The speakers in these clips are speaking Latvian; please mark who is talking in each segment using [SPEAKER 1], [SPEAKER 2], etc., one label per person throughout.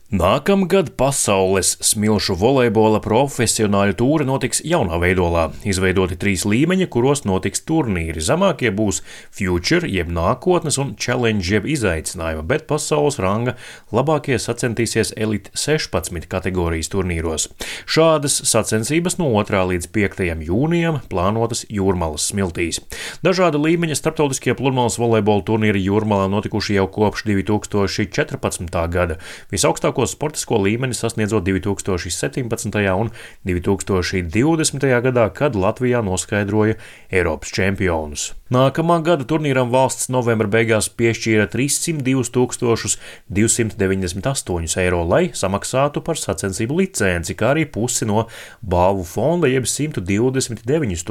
[SPEAKER 1] Nākamgad pasaules smilšu volejbola profesionāļu tūre notiks jaunā veidolā. Izveidoti 3 līmeņi, kuros notiks turnīri. Zemākie būs Future, jeb nākotnes, un Challenge, jeb izaicinājuma, bet pasaules ranga labākie sacentīsies Elite 16 kategorijas turnīros. Šādas sacensības no 2. līdz 5. jūnijam plānotas Jūrmalas smiltīs. Dažāda līmeņa starptautiskie pludmales volejbola turnīri Jūrmalā notikuši jau kopš 2014. gada. Visaugstākos sportisko līmeni sasniedzot 2017. un 2020. gadā, kad Latvijā noskaidroja Eiropas čempionus. Nākamā gada turnīram valsts novembra beigās piešķīra 302 298 eiro, lai samaksātu par sacensību licenci, kā arī pusi no balvu fonda, jeb 129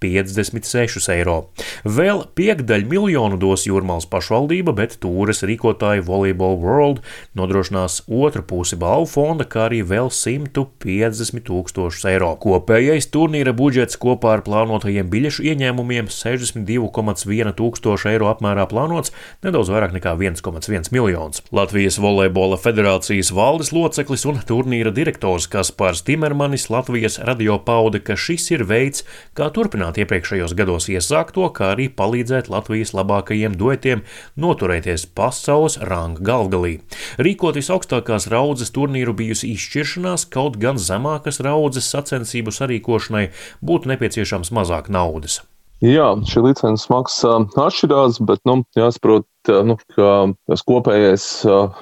[SPEAKER 1] 556 eiro. Vēl 500 miljonu dos Jūrmalas pašvaldība, bet tūres rīkotāji Volleyball World nodrošinās otru pusi balvu fonda, kā arī vēl 150 000 eiro. Kopējais turnīra budžets kopā ar plānotajiem biļešu ieņēmumiem 62,1 tūkstoši eiro apmērā plānots, nedaudz vairāk nekā 1,1 miljons. Latvijas volejbola federācijas valdes loceklis un turnīra direktors Kaspars Timermanis Latvijas radio pauda, ka šis ir veids, kā turpināt iepriekšējos gados iesākto, kā arī palīdzēt Latvijas labākajiem duetiem noturēties pasaules ranga galvgalī. Rīkot visaugstākās raudzes turnīru bijusi izšķiršanās, kaut gan zemākas raudzes sacensību sarīkošanai būtu nepieciešams mazāk naudas.
[SPEAKER 2] Jā, šī licences maksa atšķirās, bet, jāsaprot, ka tas kopējais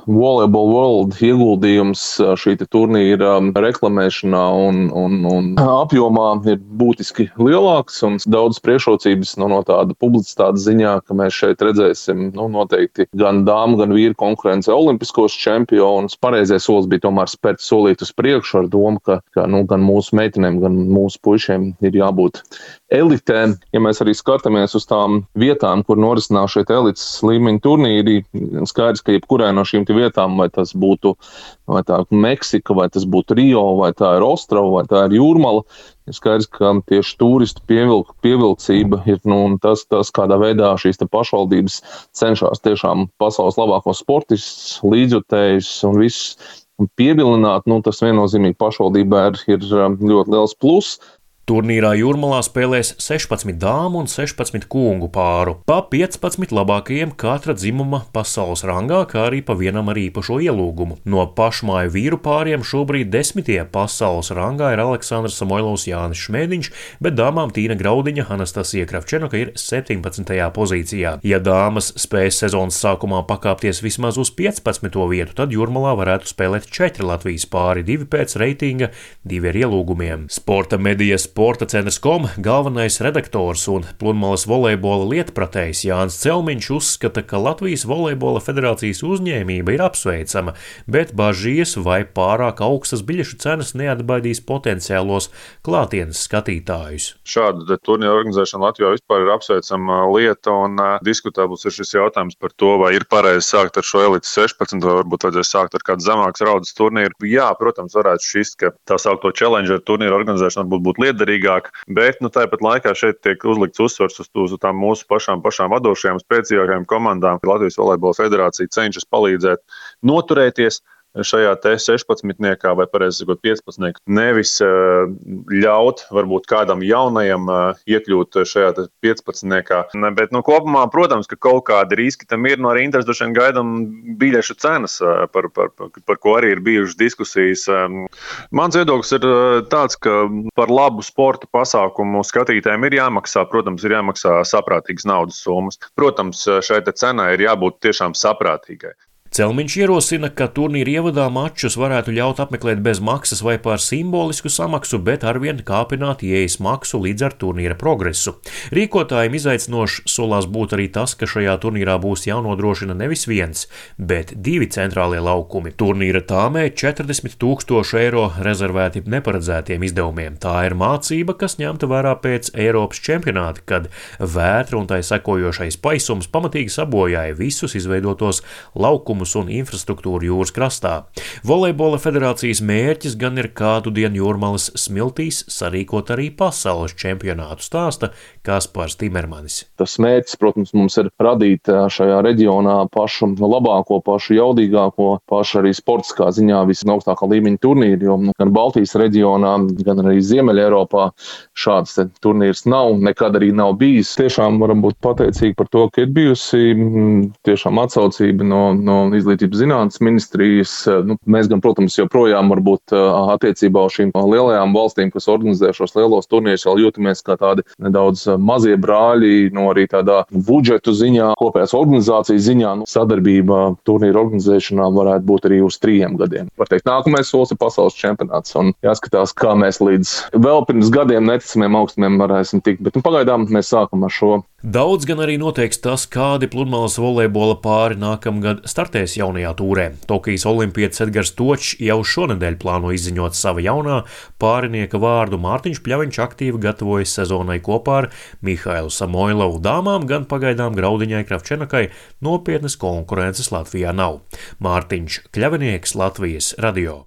[SPEAKER 2] Volleyball World ieguldījums šī turnīra reklamēšanā un apjomā ir būtiski lielāks un daudz priekšrocības no tāda publicitātes ziņā, ka mēs šeit redzēsim noteikti gan dāmu, gan vīru konkurence olimpiskos čempionus. Pareizais solis bija tomēr spērt solīt uz priekšu ar domu, ka gan mūsu meitenēm, gan mūsu puišiem ir jābūt elitēm. Ja mēs arī skatāmies uz tām vietām, kur norisinās šeit elites līmeņa turnīri, skaidrs, ka jebkurai no šīm vietām, vai tas būtu vai tā Meksika, vai tas būtu Rio, vai tā ir Ostrava, vai tā ir Jūrmala, ir skaidrs, ka tieši turistu pievilcība ir tas, kādā veidā šīs pašvaldības cenšas tiešām pasaules labākos sportistus, līdzjutējus un visus pievilināt. Tas viennozīmīgi pašvaldībā ir ļoti liels pluss.
[SPEAKER 1] Turnīrā Jūrmalā spēlēs 16 dāmu un 16 kungu pāru, pa 15 labākajiem katra dzimuma pasaules rangā, kā arī pa vienam ar īpašo ielūgumu. No pašmāju vīru pāriem šobrīd 10. pasaules rangā ir Aleksandrs Samoilovs, Jānis Šmēdiņš, bet dāmām Tīna Graudiņa, Anastasija Kravčenoka ir 17. pozīcijā. Ja dāmas spēs sezonas sākumā pakāpties vismaz uz 15. vietu, tad Jūrmalā varētu spēlēt 4 Latvijas pāri, 2 pēc reitinga, 2 ar ielūgumiem. Sporta medijas Sporta centrs.com galvenais redaktors un pludmales volejbola lietpratējs Jānis Celmiņš uzskata, ka Latvijas volejbola federācijas uzņēmība ir apsveicama, bet bažīs, vai pārāk augstas biļešu cenas neatbaidīs potenciālos klātienes skatītājus.
[SPEAKER 3] Šāda turnīra organizēšana Latvijā vispār ir apsveicama lieta, un diskutēbls ir šis jautājums par to, vai ir pareizi sākt ar šo elites 16, vai varbūt vajadzēs sākt ar kādu zemākas raudzes turnīru. Jā, protams, varētu šķist, ka tā saukto Challenger turnīra organizēšana būtu liederīga, bet tāpat laikā šeit tiek uzlikts uzsvars uz tām mūsu pašām vadošajām, spēcīgākajām komandām. Latvijas volejbola federācija cenšas palīdzēt noturēties šajā 16-niekā vai pareizi sakot 15, nevis ļaut varbūt kādam jaunajam iekļūt šajā 15-niekā. Bet kopumā, protams, ka kaut kādi riski tam ir, arī interesi droši vien gaidām biļešu cenas, par ko arī ir bijušas diskusijas. Mans viedoklis ir tāds, ka par labu sporta pasākumu skatītājiem ir jāmaksā, protams, ir jāmaksā saprātīgas naudas summas. Protams, šai cenai ir jābūt tiešām saprātīgai.
[SPEAKER 1] Celmiņš ierosina, ka turnīra ievadā mačus varētu ļaut apmeklēt bez maksas vai par simbolisku samaksu, bet arvien kāpināt ieejas maksu līdz ar turnīra progresu. Rīkotājiem izaicinošs solās būt arī tas, ka šajā turnīrā būs jānodrošina nevis viens, bet 2 centrālie laukumi. Turnīra tāmē 40 000 eiro rezervēti neparedzētiem izdevumiem. Tā ir mācība, kas ņemta vērā pēc Eiropas čempionāta, kad vētra un tai sekojošais paisums pamatīgi sabojāja visus izveidotos laukumus pasākumus un infrastruktūru jūras krastā. Volejbola federācijas mērķis gan ir kādu dienu Jūrmalas smiltīs sarīkot arī pasaules čempionātu, stāsta Kaspars Timermanis.
[SPEAKER 2] Tas mērķis, protams, mums ir radīt šajā reģionā pašu labāko, pašu jaudīgāko, pašu arī sportiskā ziņā visaugstākā līmeņa turnīru, jo gan Baltijas reģionā, gan arī Ziemeļa Eiropā šāds turnīrs nav, nekad arī nav bijis. Tiešām varam būt pateicīgi par to, ka ir bijusi tiešām atsaucība no Izglītības zinātnes ministrijas. Mēs gan, protams, joprojām varbūt attiecībā uz šīm lielajām valstīm, kas organizē šos lielos turnīrus, vēl jūtamies kā tādi nedaudz mazie brāļi, arī tādā budžetu ziņā, kopējās organizācijas ziņā. Sadarbība turnīru organizēšanā varētu būt arī uz 3 gadiem. Var teikt, nākamais solis ir pasaules čempionāts un jāskatās, kā mēs līdz vēl pirms gadiem neticamiem augstumiem varēsim tikt, bet pagaidām mēs sākam ar šo.
[SPEAKER 1] Daudz gan arī noteiks tas, kādi pludmales volejbola pāri nākamgad startēs jaunajā tūrē. Tokijas olimpietis Edgars Točs jau šonedēļ plāno izziņot sava jaunā pārinieka vārdu. Mārtiņš Pļaviņš aktīvi gatavojas sezonai kopā ar Mihailu Samoilovu. Dāmām gan pagaidām Graudiņai Kravčenakai nopietnas konkurences Latvijā nav. Mārtiņš Kļavinieks, Latvijas radio.